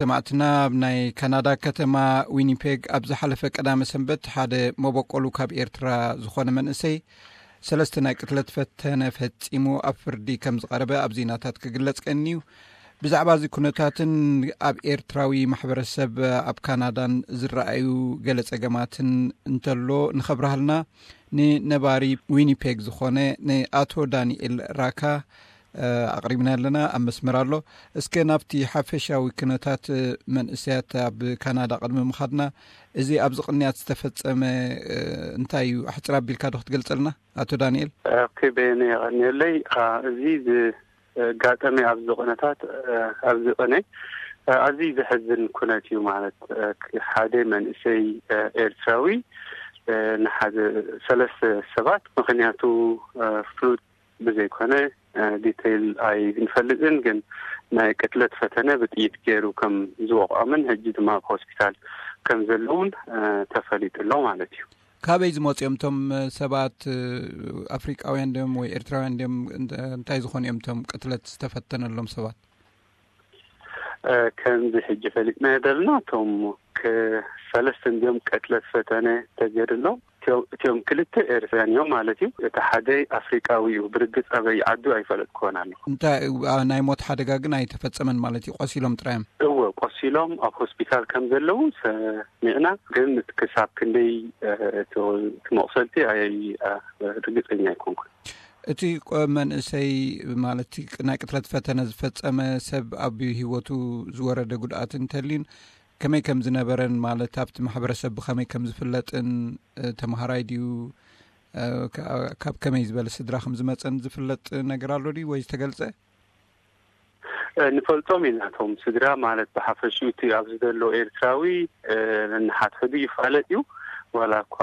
ሰማዕትና፣ ኣብ ናይ ካናዳ ከተማ ዊኒፔግ ኣብ ዝሓለፈ ቀዳመ ሰንበት ሓደ መበቆሉ ካብ ኤርትራ ዝኾነ መንእሰይ ሰለስተ ናይ ቅትለት ፈተነ ፈጺሙ ኣብ ፍርዲ ከም ዝቐረበ ኣብ ዜናታት ክግለጽ ቀንዩ። ብዛዕባ እዚ ኩነታትን ኣብ ኤርትራዊ ማሕበረሰብ ኣብ ካናዳን ዝረኣዩ ገለ ጸገማትን እንተሎ ንኸብርሃልና ንነባሪ ዊኒፔግ ዝኾነ ንኣቶ ዳንኤል ራካ ኣቕሪብና ኣለና። ኣብ መስመር ኣሎ። እስከ ናብቲ ሓፈሻዊ ኩነታት መንእሰያት ኣብ ካናዳ ቅድሚ ምኻድና፣ እዚ ኣብዚ ቅንያት ዝተፈጸመ እንታይ እዩ? ኣሕጽር ኣቢልካ ዶ ክትገልጸልና ኣቶ ዳንኤል? ኦኬ፣ በየነ የቐንየለይ። አ፣ እዚ ዝጋጠመ ኣብዚ ቅነታት፣ አ፣ ኣብዚ ቅነ፣ አ፣ ኣዝዩ ዘሕዝን ኩነት እዩ። ማለት፣ አ፣ ሓደ መንእሰይ፣ አ፣ ኤርትራዊ፣ አ፣ ንሓደ ሰለስተ ሰባት፣ ምኽንያቱ፣ አ፣ ፍሉጥ ብዘይኮነ፣ አ፣ ዲቴይል ኣይንፈልጥን፣ ግን ናይ ቅትለት ፈተነ ብጥይት ገይሩ ከም ዝወቕዖምን ሕጂ ድማ ኣብ ሆስፒታል ከም ዘለውን፣ አ፣ ተፈሊጡ ኣሎ ማለት እዩ። ካበይ ዝመጹ እዮም እቶም ሰባት? ኣፍሪቃውያን ድዮም ወይ ኤርትራውያን ድዮም? እንተ-፣ እንታይ ዝኾኑ እዮም እቶም ቅትለት ዝተፈተነሎም ሰባት? እ፣ ከምዚ ሕጂ ፈሊጥናዮ ዘለና፣ እቶም ከ-፣ ሰለስተ እንድዮም ቅትለት ፈተነ ተገይሩሎም። እቲኦም፣ እቲኦም ክልተ ኤርትራውያን እዮም ማለት እዩ። እቲ ሓደ ኣፍሪቃዊ እዩ። ብርግጽ ኣበይ ዓዱ ኣይፈለጥኩዎን ኣለኹ። እንታይ፣ አ፣ ናይ ሞት ሓደጋ ግን ኣይተፈጸመን ማለት እዩ? ቆሲሎም ጥራይ እዮም? እወ፣ ቆሲሎም ኣብ ሆስፒታል ከም ዘለዉ ሰሚዕና፣ ግን ክሳብ ክንደይ፣ እ፣ እቲ፣ እቲ መቑሰልቲ ኣይ-፣ እ፣ ርግጸኛ ኣይኮንኩን። እቲ ቆ-፣ መንእሰይ፣ ማለት፣ ቅ-፣ ናይ ቅትለት ፈተነ ዝፈጸመ ሰብ ኣብ ህይወቱ ዝወረደ ጉድኣት እንተልዩን ከመይ ከም ዝነበረን፣ ማለት፣ ኣብቲ ማሕበረሰብ ብኸመይ ከም ዝፍለጥን፣ እ፣ ተምሃራይ ድዩ፣ እ፣ ካ-፣ ካብ ከመይ ዝበለ ስድራ ከም ዝመጸን ዝፍለጥ ነገር ኣሎ ድዩ ወይ ዝተገልጸ? እ፣ ንፈልጦም ኢና። እቶም ስድራ፣ ማለት፣ ብሓፈሽኡ እቲ ኣብዚ ዘሎ ኤርትራዊ፣ እ፣ ነንሓድሕዱ ይፋለጥ እዩ። ዋላ እኳ፣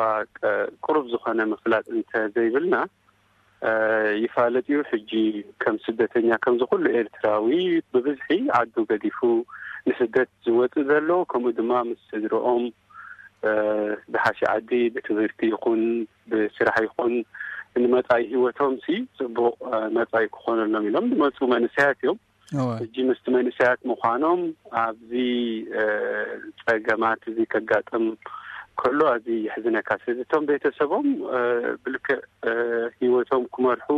እ፣ ቅሩብ ዝኾነ ምፍላጥ እንተ ዘይብልና፣ እ፣ ይፋለጥ እዩ። ሕጂ ከም ስደተኛ፣ ከምዚ ኩሉ ኤርትራዊ፣ ብብዝሒ ዓዱ ገዲፉ ንስደት ዝወጽእ ዘሎ፣ ከምኡ ድማ ምስ ስድርኦም፣ እ፣ ዝሓሸ ዓዲ ብትምህርቲ ይኹን ብስራሕ ይኹን ንመጻኢ ህይወቶም ሲ ጽቡቕ፣ እ፣ መጻኢ ክኾነሎም ኢሎም ዝመጹ መንእሰያት እዮም። እወ። ሕጂ ምስቲ መንእሰያት ምዃኖም ኣብዚ፣ እ፣ ጸገማት እዚ ከጋጥም ከሎ ኣዝዩ የሕዝነካ። ስለዚ እቶም ቤተሰቦም፣ እ፣ ብልክዕ፣ እ፣ ህይወቶም ክመርሑ፣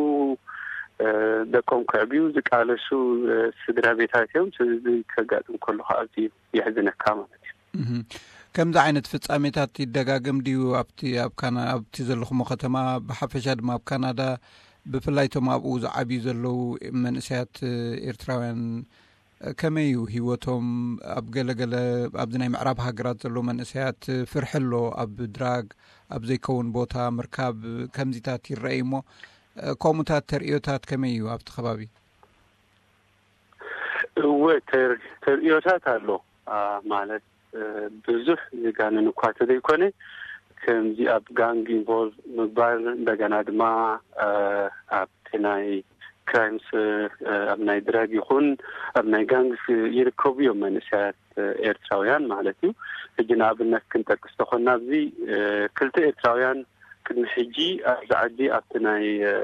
እ፣ ደቆም ከዕብዩ ዝቃለሱ፣ እ፣ ስድራ ቤታት እዮም። ስለዚ ከጋጥም ከሎ ከዓ ኣዝዩ የሕዝነካ ማለት እዩ። እህ። ከምዚ ዓይነት ፍጻሜታት ይደጋገም ድዩ? ኣብቲ፣ ኣብ ካና-፣ ኣብቲ ዘለኹሞ ከተማ፣ ብሓፈሻ ድማ ኣብ ካናዳ፣ ብፍላይ እቶም ኣብኡ ዝዓብዩ ዘለዉ መንእሰያት ኤርትራውያን፣ ከመይ እዩ ህይወቶም? ኣብ ገለ ገለ፣ ኣብዚ ናይ ምዕራብ ሃገራት ዘለዉ መንእሰያት ፍርሒ ኣሎ፣ ኣብ ድራግ፣ ኣብ ዘይከውን ቦታ ምርካብ፣ ከምዚታት ይረኣዩ እሞ፣ ከምኡታት ተርእዮታት ከመይ እዩ ኣብቲ ከባቢ? እወ፣ ተር-፣ ተርእዮታት ኣሎ። አ፣ ማለት፣ እ፣ ብዙሕ ዝጋነን እኳ ተዘይኮነ፣ ከምዚ ኣብ ጋንግ ኢንቮልቭ ምግባር፣ እንደገና ድማ፣ እ፣ ኣብቲ ናይ ክራይምስ፣ እ፣ ኣብ ናይ ድራግ ይኹን ኣብ ናይ ጋንግስ ይርከቡ እዮም መንእሰያት፣ እ፣ ኤርትራውያን ማለት እዩ። ሕጂ ንኣብነት ክንጠቅስ ተኾንና፣ ኣብዚ፣ እ፣ ክልተ ኤርትራውያን ቅድሚ ሕጂ ኣብዚ ዓዲ ኣብቲ ናይ፣ እ፣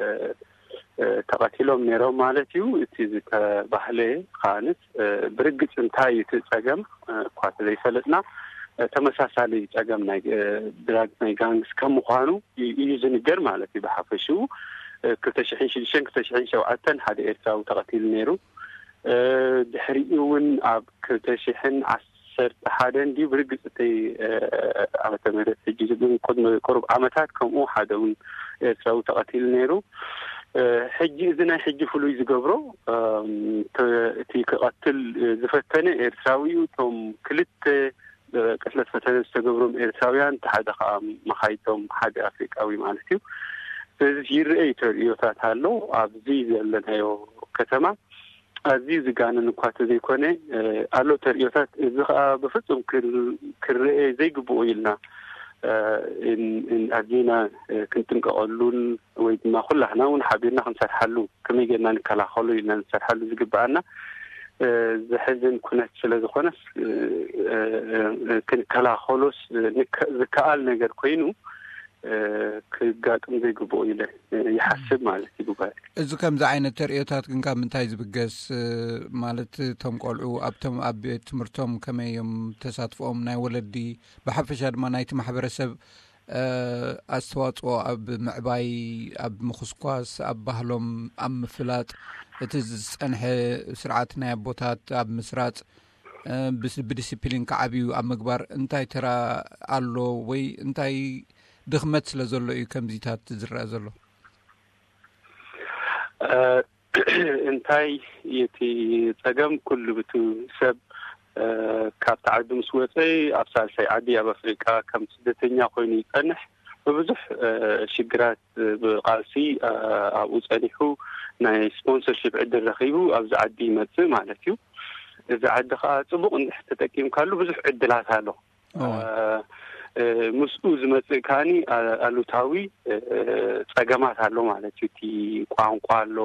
እ፣ ተቐቲሎም ነይሮም ማለት እዩ። እቲ ዝተባህለ ከኣንስ፣ እ፣ ብርግጽ እንታይ እዩ እቲ ጸገም፣ እ፣ እኳ ተዘይፈለጥና፣ እ፣ ተመሳሳሊ ጸገም ናይ፣ እ፣ ድራግ ናይ ጋንግስ ከም ምዃኑ እዩ፣ እዩ ዝንገር ማለት እዩ። ብሓፈሽኡ፣ እ፣ ክልተ ሽሕን ሽዱሽተን ክልተ ሽሕን ሸውዓተን ሓደ ኤርትራዊ ተቐቲሉ ነይሩ። እ፣ ድሕሪኡ እውን ኣብ ክልተ ሽሕን ዓሰርተ ሓደን ድዩ ብርግጽ እቲ፣ እ፣ ዓመተ ምህረት ሕጂ ዝብል ቅድሚ ቁሩብ ዓመታት ከምኡ ሓደ እውን ኤርትራዊ ተቐቲሉ ነይሩ። እ፣ ሕጂ እዚ ናይ ሕጂ ፍሉይ ዝገብሮ፣ እም፣ ተ-፣ እቲ ክቐትል ዝፈተነ ኤርትራዊ እዩ። እቶም ክልተ፣ እ፣ ቅትለት ፈተነ ዝተገብሮም ኤርትራውያን፣ እቲ ሓደ ከዓ መኻይቶም ሓደ ኣፍሪቃዊ ማለት እዩ። ስለዚ ይረኣዩ ተርእዮታት ኣሎ ኣብዚ ዘለናዮ ከተማ። ኣዝዩ ዝጋነን እኳ ተዘይኮነ፣ እ፣ ኣሎ ተርእዮታት። እዚ ኸኣ ብፍጹም ክር-፣ ክረኤ ዘይግብኦ ኢልና፣ እ፣ እን-፣ እን-፣ ኣዚና፣ እ፣ ክንጥንቀቐሉን ወይ ድማ ኩላህና እውን ሓቢርና ክንሰርሓሉ፣ ከመይ ጌርና ንከላኸሎ ኢልና ንሰርሓሉ ዝግብኣና፣ እ፣ ዘሕዝን ኩነት ስለ ዝኾነስ፣ እ፣ እ፣ እ፣ ክንከላኸሎስ፣ እ፣ ንከ-፣ ዝከኣል ነገር ኮይኑ፣ ክጋጥም ዘይግብኦ ኢለ ይሓስብ ማለት እዩ። ጉባኤ እዚ ከምዚ ዓይነት ተርእዮታት ግን ካብ ምንታይ ዝብገስ? ማለት እቶም ቆልዑ ኣብቶም ኣብ ቤት ትምህርቶም ከመይ እዮም ተሳትፎኦም፣ ናይ ወለዲ ብሓፈሻ ድማ ናይቲ ማሕበረሰብ ኣስተዋፅኦ ኣብ ምዕባይ፣ ኣብ ምኹስኳስ፣ ኣብ ባህሎም ኣብ ምፍላጥ፣ እቲ ዝፀንሐ ስርዓት ናይ ኣቦታት ኣብ ምስራፅ፣ ብዲሲፕሊን ክዓብዩ ኣብ ምግባር እንታይ ተራ ኣሎ ወይ እንታይ ድኽመት ስለ ዘሎ እዩ ከምዚታት ዝረአ ዘሎ? እንታይ እቲ ጸገም? ኩሉ ብቱ ሰብ ካብቲ ዓዲ ምስ ወጸ ኣብ ሳልሳይ ዓዲ ኣብ ኣፍሪቃ ከም ስደተኛ ኮይኑ ይጸንሕ። ብብዙሕ ሽግራት ብቃልሲ ኣብኡ ጸኒሑ ናይ ስፖንሰርሽፕ ዕድል ረኺቡ ኣብዚ ዓዲ ይመጽእ ማለት እዩ። እዚ ዓዲ ከዓ ጽቡቕ እንድሕር ተጠቂምካሉ ብዙሕ ዕድላት ኣሎ። ምስኡ ዝመጽእ ከዓኒ ኣሉታዊ ጸገማት ኣሎ ማለት እዩ። እቲ ቋንቋ ኣሎ፣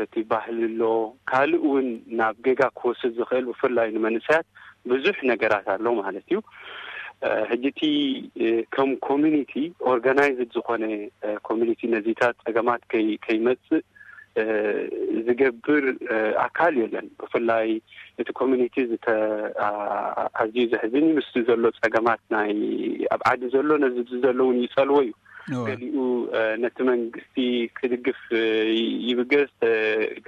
እቲ ባህሊ ኣሎ፣ ካልእ እውን ናብ ጌጋ ክወስድ ዝኽእል ብፍላይ ንመንእሰያት ብዙሕ ነገራት ኣሎ ማለት እዩ። ሕጂ እቲ ከም ኮሚኒቲ ኦርጋናይዝድ ዝኾነ ኮሚኒቲ ነዚታት ጸገማት ከይመጽእ ዝገብር ኣካል የለን። ብፍላይ እቲ ኮሚኒቲ ኣዝዩ ዘሕዝን እዩ። ምስ ዘሎ ጸገማት ናይ ኣብ ዓዲ ዘሎ ነዚ ዘሎ እውን ይጸልዎ እዩ። ገሊኡ ነቲ መንግስቲ ክድግፍ ይብገስ፣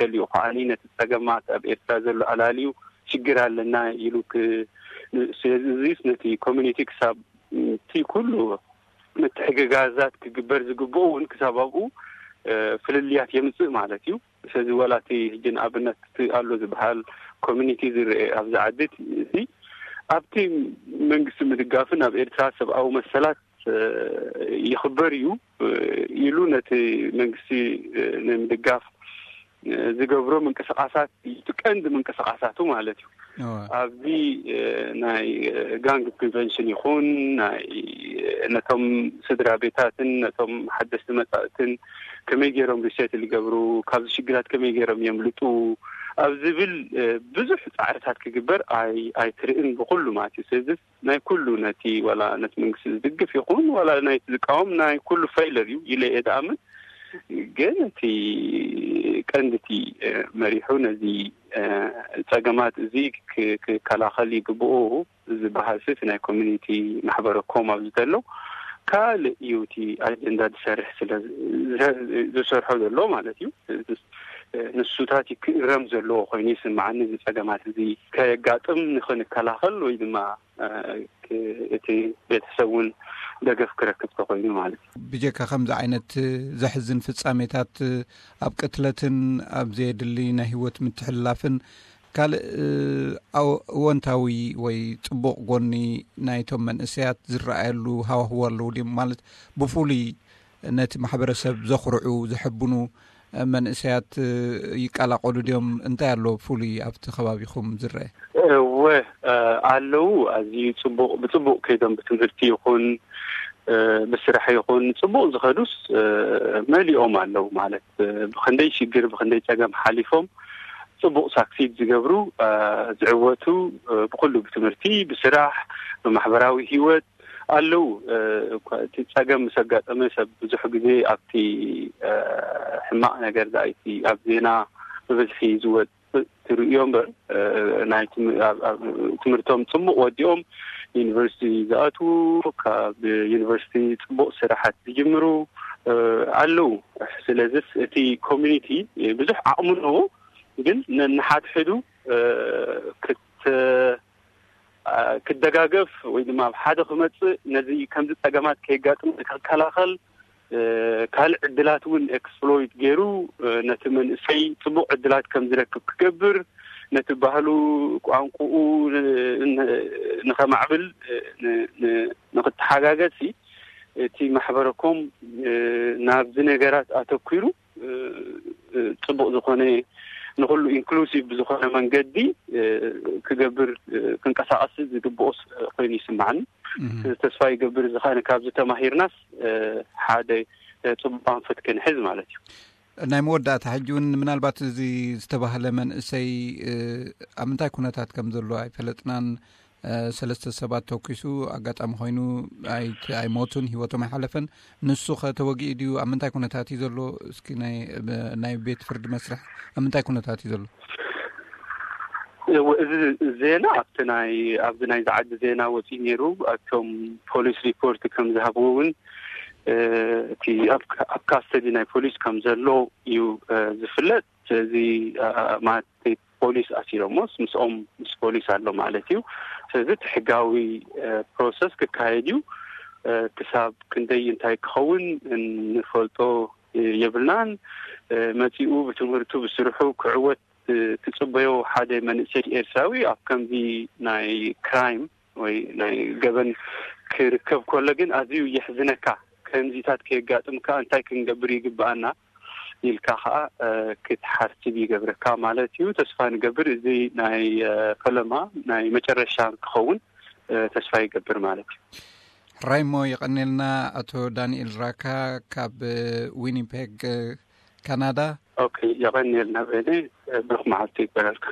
ገሊኡ ከዓኒ ነቲ ጸገማት ኣብ ኤርትራ ዘሎ ኣላልዩ ሽግር ኣለና ኢሉ ስለዚ ነቲ ኮሚኒቲ ክሳብ እቲ ኩሉ ምትሕግጋዛት ክግበር ዝግብኦ እውን ክሳብ ኣብኡ ፍልልያት የምፅእ ማለት እዩ። ስለዚ ዋላ እቲ ሕጂ ንኣብነት እቲ ኣሎ ዝበሃል ኮሚኒቲ ዝረአ ኣብዚ ዓዲ እቲ ኣብቲ መንግስቲ ምድጋፍን ኣብ ኤርትራ ሰብኣዊ መሰላት ይኽበር እዩ ኢሉ ነቲ መንግስቲ ንምድጋፍ ዝገብሮ ምንቅስቃሳት እቲ ቀንዲ ምንቅስቃሳቱ ማለት እዩ። ኣብዚ ናይ ጋንግ ፕሪቨንሽን ይኹን ናይ ነቶም ስድራ ቤታትን ነቶም ሓደስቲ መጻእትን ከመይ ገይሮም ሪሴትል ይገብሩ፣ ካብዚ ሽግራት ከመይ ገይሮም የምልጡ ኣብ ዝብል ብዙሕ ጻዕርታት ክግበር ኣይትርእን ብኩሉ ማለት እዩ። ስለዚ ናይ ኩሉ ነቲ ዋላ ነቲ መንግስቲ ዝድግፍ ይኹን ዋላ ናይቲ ዝቃወም ናይ ኩሉ ፌለር እዩ ኢለ እየ ዝኣምን። ግን እቲ ቀንዲ እቲ መሪሑ ነዚ ጸገማት እዚ ክከላኸል ይግብኦ ዝበሃል ሲ ናይ ኮሚኒቲ ማሕበረ ኮም ኣብዚ ዘሎ ካልእ እዩ እቲ ኣጀንዳ ዝሰርሕ ስለ ዝሰርሖ ዘሎ ማለት እዩ። ንሱታት ክእረም ዘለዎ ኮይኑ ይስምዓኒ። እዚ ጸገማት እዚ ከየጋጥም ንክንከላኸል ወይ ድማ እቲ ቤተሰብ እውን ደገፍ ክረክብ ተኮይኑ ማለት እዩ። ብጀካ ከምዚ ዓይነት ዘሕዝን ፍጻሜታት ኣብ ቅትለትን ኣብ ዘየድሊ ናይ ህይወት ምትሕልላፍን ካልእ እወንታዊ ወይ ጽቡቕ ጎኒ ናይቶም መንእሰያት ዝረኣየሉ ሃዋህዎ ኣለዉ ድዮም? ማለት ብፍሉይ ነቲ ማሕበረሰብ ዘኹርዑ ዘሐብኑ መንእሰያት ይቀላቀሉ ድዮም? እንታይ ኣሎ ፍሉይ ኣብቲ ከባቢኹም ዝረአ? እወ ኣለዉ። ኣዝዩ ጽቡቕ ብጽቡቕ ከይዶም ብትምህርቲ ይኹን ብስራሕ ይኹን ጽቡቕ ዝኸዱስ መሊኦም ኣለዉ። ማለት ብኽንደይ ሽግር ብኽንደይ ጸገም ሓሊፎም ጽቡቕ ሳክሲድ ዝገብሩ ዝዕወቱ ብኩሉ ብትምህርቲ ብስራሕ ብማሕበራዊ ህይወት ኣለዉ። እቲ ጸገም ምስ ኣጋጠመ ሰብ ብዙሕ ግዜ ኣብቲ ሕማቕ ነገር ዳኣይቲ ኣብ ዜና ብብዝሒ ዝወጽእ ትርእዮ እምበር ናይ ትምህርቶም ጽቡቕ ወዲኦም ዩኒቨርሲቲ ዝኣትዉ ካብ ዩኒቨርሲቲ ጽቡቕ ስራሓት ዝጅምሩ ኣለዉ። ስለዚስ እቲ ኮሚኒቲ ብዙሕ ዓቕሚ ኣለዎ፣ ግን ነንሓድሕዱ ክት ክደጋገፍ ወይ ድማ ኣብ ሓደ ክመፅእ ነዚ ከምዚ ፀገማት ከየጋጥም ክከላኸል ካልእ ዕድላት እውን ኤክስፕሎይት ገይሩ ነቲ መንእሰይ ፅቡቅ ዕድላት ከም ዝረክብ ክገብር ነቲ ባህሉ ቋንቁኡ ንከማዕብል ንክተሓጋገዝ እቲ ማሕበረኮም ናብዚ ነገራት ኣተኪሩ ፅቡቕ ዝኾነ ንኩሉ ኢንክሉሲቭ ብዝኾነ መንገዲ ክገብር ክንቀሳቐስ ዝግብኦ ኮይኑ ይስማዓኒ። ተስፋ ይገብር እዚ ከኣ ካብዚ ተማሂርናስ ሓደ ፅቡቕ ኣንፈት ክንሕዝ ማለት እዩ። ናይ መወዳእታ ሕጂ እውን ምናልባት እዚ ዝተባህለ መንእሰይ ኣብ ምንታይ ኩነታት ከም ዘሎ ኣይፈለጥናን። ሰለስተ ሰባት ተኩሱ ኣጋጣሚ ኮይኑ ኣይሞቱን፣ ህይወቶም ኣይሓለፈን። ንሱ ከ ተወጊኡ ድዩ? ኣብ ምንታይ ኩነታት እዩ ዘሎ? እስኪ ናይ ቤት ፍርዲ መስርሕ ኣብ ምንታይ ኩነታት እዩ ዘሎ? እዚ ዜና ኣብቲ ናይ ኣብዚ ናይ ዝዓዲ ዜና ወፂኡ ነይሩ። ኣብቶም ፖሊስ ሪፖርት ከም ዝሃብዎ እውን እቲ ኣብ ካስተዲ ናይ ፖሊስ ከም ዘሎ እዩ ዝፍለጥ። እዚ ማለት ፖሊስ ኣሲሮሞስ ምስኦም ምስ ፖሊስ ኣሎ ማለት እዩ። ስለዚ እቲ ሕጋዊ ፕሮሰስ ክካየድ እዩ። ክሳብ ክንደይ እንታይ ክኸውን እንፈልጦ የብልናን። መፂኡ ብትምህርቱ ብስርሑ ክዕወት ትፅበዮ ሓደ መንእሰይ ኤርትራዊ ኣብ ከምዚ ናይ ክራይም ወይ ናይ ገበን ክርከብ ከሎ ግን ኣዝዩ የሕዝነካ። ከምዚታት ከየጋጥምካ እንታይ ክንገብር ይግብኣና ኢልካ ከዓ ክትሓስብ ይገብረካ ማለት እዩ። ተስፋ ንገብር እዚ ናይ ፈለማ ናይ መጨረሻ ክኸውን ተስፋ ይገብር ማለት እዩ። ሕራይ እሞ የቐኔልና ኣቶ ዳንኤል ራካ ካብ ዊኒፔግ ካናዳ። ኦኬ፣ የቐኔልና በለ። ብሩኽ መዓልቲ ይበረልካ።